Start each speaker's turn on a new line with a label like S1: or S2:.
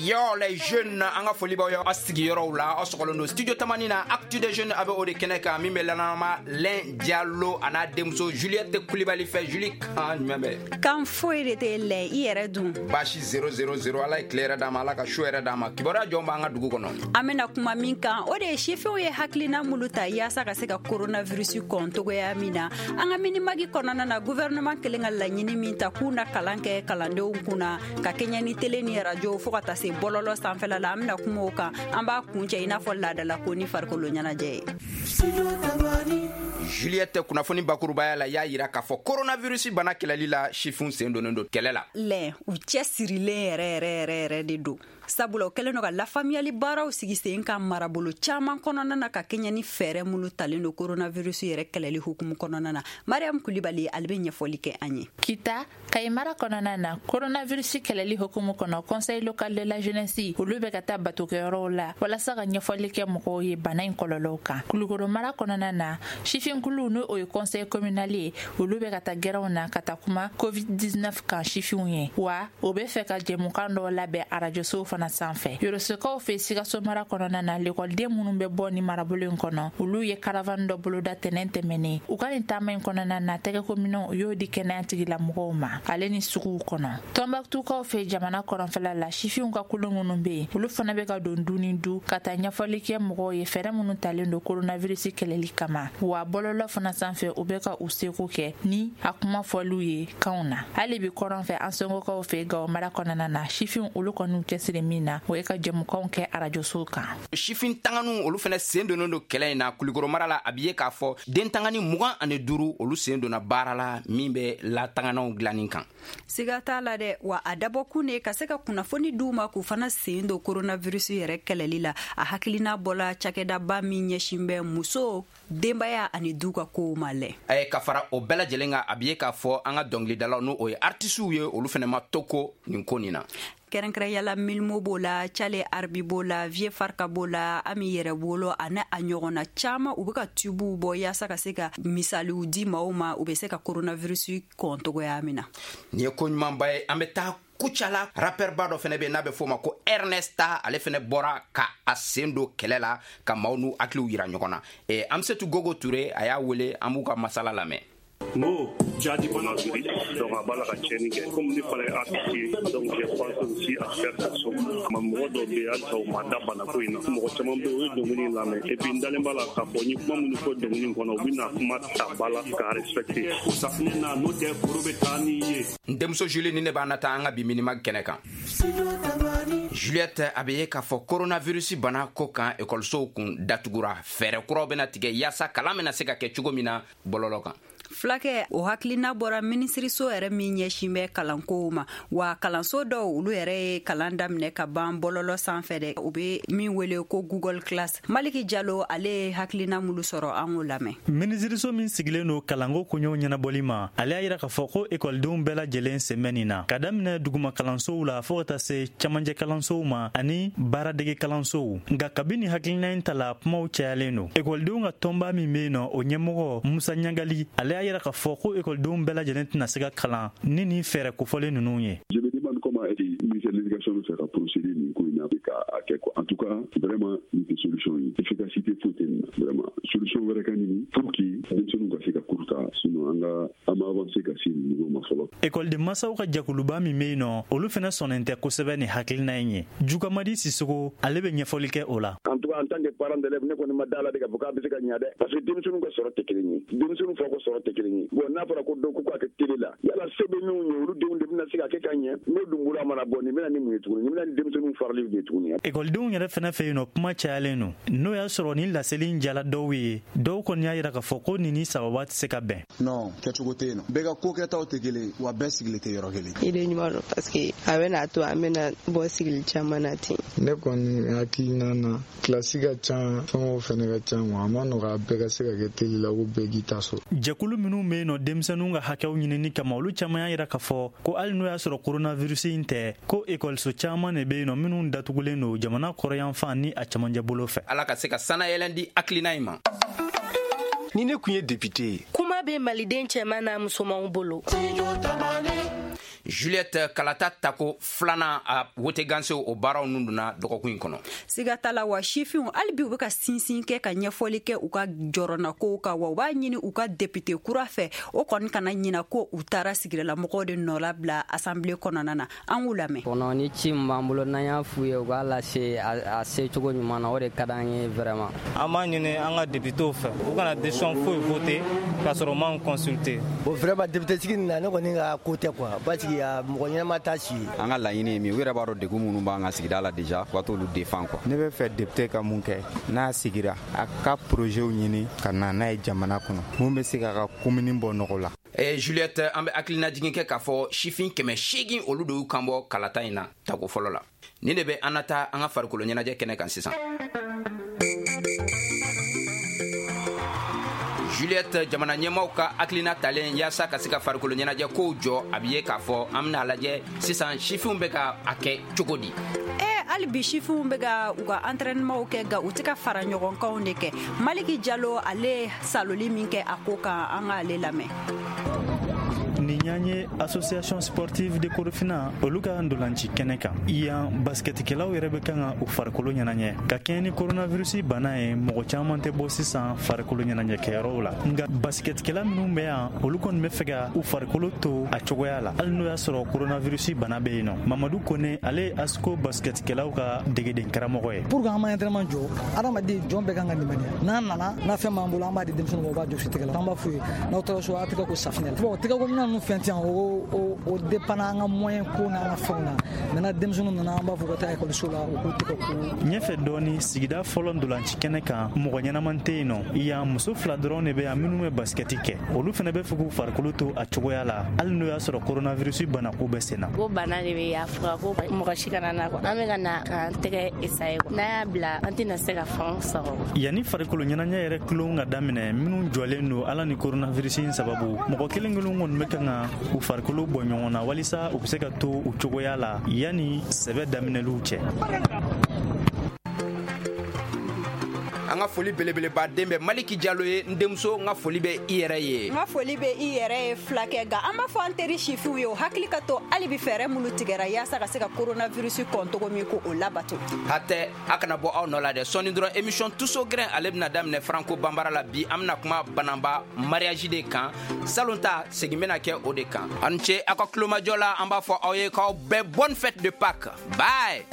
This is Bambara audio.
S1: Yo les jeunes, an ka foli b'aw ye aw sigiyɔrɔw la. Aw sɔgɔlen don Studio Tamani na, Actu des jeunes a bɛ o de kɛnɛ kan, min bɛ lanama Lɛn Jalo a n'a denmuso Juliette Kulibali fɛ. Julie, kan jumɛn bɛ?
S2: Kan foyi de tɛ lɛ, i yɛrɛ dun?
S1: Baasi 0 0 0. Ala ye tile yɛrɛ d'an ma, Ala ka su yɛrɛ d'an ma. Kibaruya jɔn b'an ka dugu kɔnɔ?
S2: An bena kuma min kan, o de ye sifinw ye hakilina mulu ta yaasa ka se ka coronavirus kɔn togoya min na. An ka Minimag kɔnɔna na, gouvernement kelen ka laɲini min ta k'u na kalan kɛ kalandenw kunna ka kɛɲɛ ni télé ni radio fɔɔ ka taa se bɔlɔlɔ sanfɛla la, an bena kuma o kan. An b'a kuncɛ i n'a fɔ laadalako ni farikolo ɲɛnajɛ ye.
S1: Juliette, kunnafoni bakurubaya la, y'a yira k'a fɔ coronavirus bana kɛlɛli la, sifinw sen donnen don kɛlɛ la.
S2: Lɛ, u cɛ sirilen yɛrɛ yɛrɛ yɛrɛ yɛrɛ de don, sabula o kɛlen don ka lafaamuyali baaraw sigi sen kan marabolo caaman kɔnɔna na ka kɛɲɛ ni fɛɛrɛ minnu talen don coronavirus yɛrɛ kɛlɛli hukumu kɔnɔna na. Mariam Kulibali, ale bɛ ɲɛfɔli kɛ an ye.
S3: Kita, Kayi mara kɔnɔna na, coronavirus kɛlɛli hukumu kɔnɔ, Conseil local de la jeunesse olu bɛ ka taa batokɛyɔrɔw la walasa ka ɲɛfɔli kɛ mɔgɔw ye bana in kɔlɔlɔw kan. Kulukoro mara kɔnɔna na, sifinkulu, n'o o ye conseil communal ye, olu bɛ ka taa gɛrɛnw na ka taa kuma COVID-19 kan sifinw ye, wa o bɛ fɛ ka jɛmukan dɔw labɛn arajosow fana sanfɛ. Yorosokaw fɛ, Sikaso mara kɔnɔna na, lekɔliden minnu bɛ bɔ ni marabolo in kɔnɔ, olu ye caravane dɔ boloda tɛnɛn tɛmɛnen. U ka nin taama in kɔnɔna na, tɛgɛkominɛw, u y'o di kɛnɛya tigilamɔgɔw ma ale ni suguw kɔnɔ. Tɔnbɔkutukaw fɛ, jamana kɔrɔnfɛla la, sifinw ka kulu minnu bɛ yen, olu fana bɛ ka don du ni du ka taa ɲɛfɔli kɛ mɔgɔw ye fɛɛrɛ minnu talen don coronavirus kɛlɛli kama, wa bɔlɔlɔ fana sanfɛ, u bɛ ka u seko kɛ ni a kuma fɔliw ye kanw na. Hali bi kɔrɔn fɛ, an sɔngɔkaw fɛ, Gawo mara kɔnɔna na, sifinw olu kɔni cɛsiri min na, o ye ka jɛmukanw kɛ arajosow kan.
S1: Sifin tanganiw, olu fana sen donnen don kɛlɛ in na. Kulikoro mara la, a bi ye k'a fɔ den tangani 25, olu sen donna baara la min bɛ latanganaw dilanni kan.
S2: Siga t'a la dɛ, wa a dabɔkun de ka se ka kunnafoni d'u ma k'u fana sen don coronavirus yɛrɛ kɛlɛli la. A hakilina bɔla cakɛdaba min ɲɛsin bɛ muso, denbaya ani du ka kow ma lɛ.
S1: Ka fara o bɛɛ lajɛlen kan, a bi ye k'a fɔ an ka dɔnkilidalaw, n'o o ye artisiw ye, olu fana ma to ko nin ko nin na.
S2: Kɛrɛnkɛrɛnyala, Milimo b'o la, Cale Arbi b'o la, Vie Farka b'o la, Ami Yɛrɛ Bolo ani a ɲɔgɔnna caaman, u be ka tubew bɔ yaasa ka se ka misaliw di maaw ma, u be se ka coronavirus kɔn togoya min na.
S1: Nin ye ko ɲumanba ye. An bɛ taa Kucala, rapɛrba dɔ fɛnɛ bɛ, n'a bɛ f'o ma ko Ernesta, ale fɛnɛ bɔra ka a sen don kɛlɛ la ka maaw n'u hakiliw yira ɲɔgɔn na. Amsetu Gogo Ture, a y'a wele, an b'u ka masala lamɛn.
S4: N ko jadi bana, donc a b'a la ka tiɲɛni kɛ. Comme ne fana ye artiste ye, donc j'ai pensé aussi à faire quelque chose. Ma mɔgɔ dɔw bɛ yen, halisa u ma da banako in na. Mɔgɔ caman bɛ yen, o ye dɔnkili in lamɛn, et puis n dalen b'a la k'a fɔ n ye kuma minnu fɔ dɔnkili in kɔnɔ, u bɛna kuma ta ba la k'a respecter.
S5: Ko safinɛ na, n'o tɛ koro bɛ taa n'i ye.
S1: N denmuso Julie, ni ne b'an na taa an ka bi Minimag kɛnɛ kan. Juliette, a bɛ ye k'a fɔ coronavirus bana ko kan, ekɔlisow kun datugura. Fɛɛrɛ kuraw bɛna tigɛ yaasa kalan bɛna se ka kɛ cogo min na bɔlɔlɔ kan.
S2: Fulakɛ, o hakilina bɔra minisiriso yɛrɛ min ɲɛsin bɛ kalankow ma, wa kalanso dɔw, olu yɛrɛ ye kalan daminɛ ka ban bɔlɔlɔ sanfɛ dɛ, u bɛ min wele ko Google Class. Maliki Jalo, ale ye hakilina mulu sɔrɔ, an k'o lamɛn.
S6: Minisiriso min sigilen don kalanko koɲɛw ɲɛnabɔli ma, ale y'a yira k'a fɔ ko ekɔlidenw bɛɛ lajɛlen sen bɛ nin na, ka daminɛ duguma kalansow la fɔɔ ka taa se camancɛ kalansow ma ani baaradege kalansow. Nka kabini hakilina in ta la, kumaw cayalen don. Ekɔlidenw ka tɔnba min bɛ yen nɔ, o ɲɛmɔgɔ Musa Ɲagali, ale y'a yira k'a fɔ ko ekɔlidenw bɛɛ lajɛlen tɛna se ka kalan ni nin fɛɛrɛ kofɔlen ninnu ye.
S7: Je me demande comment ministère de l'Éducation bɛ fɛ ka procéder nin ko in na k'a kɛ quoi. En tout cas, vraiment, nin tɛ solution ye, efficacité foyi tɛ nin na. Vraiment, solution wɛrɛ ka ɲini pour que denmisɛnninw ka se ka cours ta, sinon an ka an ma avancer ka se nin niveau ma fɔlɔ.
S6: Ekɔliden masaw ka jɛkuluba min bɛ yen nɔ, olu fana sɔnnen tɛ kosɛbɛ ni hakilina in ye. Jukamadi Sisogo, ale bɛ ɲɛfɔli kɛ o la.
S8: En tout cas, en tant que parent d'élève, ne kɔni ma da la de k'a fɔ k'a bɛ se ka ɲa dɛ, parce que denmisɛnninw ka sɔrɔ tɛ kelen ye, denmisɛnninw fa ka sɔrɔ tɛ kelen ye. Bon, n'a fɔra ko dɔ ko k'a kɛ télé la, yala se bɛ minnu ye, olu denw de bɛna se ka kɛ ka ɲɛ? N'o dun bolo a mana bɔ, nin bɛna ni mun ye tuguni? Nin bɛna ni denmisɛnninw farali de ye tuguni.
S6: Ekɔlidenw yɛrɛ fana fɛ yen nɔ, kuma cayalen don. N'o y'a sɔrɔ ni laseli in jala dɔw ye, dɔw kɔni y'a yira k'a fɔ ko nin ni sababa tɛ se ka bɛn.
S9: Non, kɛcogo tɛ yen nɔ. Bɛɛ ka ko kɛtaw tɛ kelen, wa bɛɛ sigilen tɛ yɔrɔ kelen.
S10: Idée ɲuman don, parce que a bɛna to an bɛna bɔ sigili caman na ten.
S11: Ne kɔni hakilina na, kilasi ka ca, fɛnw fɛnɛ ka ca, wa a ma nɔgɔ a bɛɛ ka se ka kɛ télé la ko bɛɛ k'i ta sɔrɔ.
S6: Jɛkulu minnu bɛ yen nɔ denmisɛnninw ka hakɛw ɲinini kama, olu caman y'a yira k'a fɔ ko hali n'o y'a sɔrɔ coronavirus in tɛ, ko ekɔliso caman de bɛ yen nɔ minnu datugulen don jamana kɔrɔyanfan ni a camancɛ bolo fɛ.
S1: Ala ka se ka sanayɛlɛn di hakilina in ma.
S12: Ni ne kun ye député ye.
S13: Kuma bɛ maliden cɛman n'a musomanw bolo.
S1: Juliette, kalata tako filanan a wote gansew, o baaraw nun donna dɔgɔkun in kɔnɔ.
S2: Siga t'a la. Wa sifinw, hali bi u bɛ ka sinsin kɛ ka ɲɛfɔli kɛ u ka jɔrɔnakow kan, wa u b'a ɲini u ka député kura fɛ, o kɔni kana ɲina ko u taara sigidalamɔgɔw de nɔ bila assemblée kɔnɔna na. An k'u lamɛn.
S13: Kɔnɔ ni ci min b'an bolo, n'an y'a f'u ye, u k'a lase a se cogo ɲuman na, o de ka d'an ye vraiment.
S14: An b'a ɲini an ka députéw fɛ, u kana décision foyi voter k'a sɔrɔ u m'an consulter.
S15: Bon, vraiment, député sigi nin na, ne kɔni ka ko tɛ quoi, parce que mɔgɔ ɲɛnama t'a si.
S16: An ka laɲini ye min, u yɛrɛ b'a dɔn degun minnu b'an ka sigida la déjà, u ka t'olu défend quoi.
S17: Ne bɛ fɛ député ka mun kɛ n'a sigira? A ka projetw ɲini ka na n'a ye jamana kɔnɔ, mun bɛ se k'a ka commune bɔ nɔgɔ la.
S1: Juliette, an bɛ hakilinajigin kɛ k'a fɔ sifin 800, olu de y'u kan bɔ kalata in na tako fɔlɔ la. Nin de bɛ an na taa an ka farikolo ɲɛnajɛ kɛnɛ kan sisan. Juliette, jamana ɲɛmaw ka hakilina talen yaasa ka se ka farikolo ɲɛnajɛ kow jɔ, a bi ye k'a fɔ an bena lajɛ sisan sifinw bɛ ka a kɛ cogo di.
S2: Hali bi sifinw bɛ ka u ka entraînementw kɛ, nka u tɛ ka fara ɲɔgɔn kanw de kɛ. Maliki Jalo, ale saloli min kɛ a ko kan, an k'ale lamɛn.
S6: Nin y'an ye Association sportive de Korofina, olu ka ndolanci kɛnɛ kan yan. Basketikɛlaw yɛrɛ bɛ kan ka u farikolo ɲɛnajɛ ka kɛɲɛ ni coronavirus bana ye. Mɔgɔ caman tɛ bɔ sisan farikolo ɲɛnajɛkɛyɔrɔw la, nka basketikɛla minnu bɛ yan, olu kɔni bɛ fɛ ka u farikolo to a cogoya la, hali n'o y'a sɔrɔ coronavirus bana bɛ yen nɔ. Mamadu Kone, ale ye ASCO basketikɛlaw ka degeden karamɔgɔ ye.
S18: Pour que an ma entraînement jɔ, adamaden jɔn bɛɛ kan ka limaniya. N'an nana n'a fɛn b'an bolo, an b'a di denmisɛnninw ma, u b'a jɔsi tɛgɛ la. An b'a f'u ye, n'aw taara so, a tɛgɛ ko safinɛ la. Bon, tɛgɛ ko minɛn ninnu fɛn tɛ yan, o dépend an ka moyen ko n'an ka fɛnw na. Maintenant, denmisɛnninw nana, an b'a fɔ ka taa ekɔliso la, u k'u tɛgɛ ko.
S6: Ɲɛfɛ dɔɔni, sigida fɔlɔ ndolanci kɛnɛ kan, mɔgɔ ɲɛnaman tɛ yen nɔ. Yan, muso fila dɔrɔn de bɛ yan minnu bɛ basikɛti kɛ. Olu fana bɛ fɛ k'u farikolo to a cogoya la, hali n'o y'a sɔrɔ coronavirus banako bɛ sen na.
S19: Ko bana de bɛ a fura ko mɔgɔ si kana na quoi. An bɛ ka na k'an tɛgɛ essayer quoi. N'an y'a bila, an tɛna se ka fɛn sɔrɔ.
S6: Yanni farikolo ɲɛnajɛ yɛrɛ tulon ka daminɛ, minnu jɔlen don ala ni coronavirus in sababu, mɔgɔ kelen kelen kɔni bɛ kan ka u farikolo bɔ ɲɔgɔn na walisa u bɛ se ka to u cogoya la yanni sɛbɛ daminɛliw cɛ.
S1: An ka foli belebeleba den bɛ Maliki Jalo ye. N denmuso, n ka foli bɛ i yɛrɛ ye.
S2: N ka foli bɛ i yɛrɛ ye, fulakɛ. Nka an b'a fɔ an teri sifinw ye, o hakili ka to hali bi fɛɛrɛ minnu tigɛra yaasa ka se ka coronavirus kɔn cogo min, ko o labato.
S1: Hatɛ, a kana bɔ aw nɔ la dɛ. Sɔɔni dɔrɔn, émission Tuso Grin, ale bɛna daminɛ franco banbara la. Bi, an bɛna kuma banamba mariage de kan. Salon ta segin bɛna kɛ o de kan. Aw ni ce aw ka tulomajɔ la. An b'a fɔ aw ye k'aw bɛɛ bonne fête de Pâques. Bye.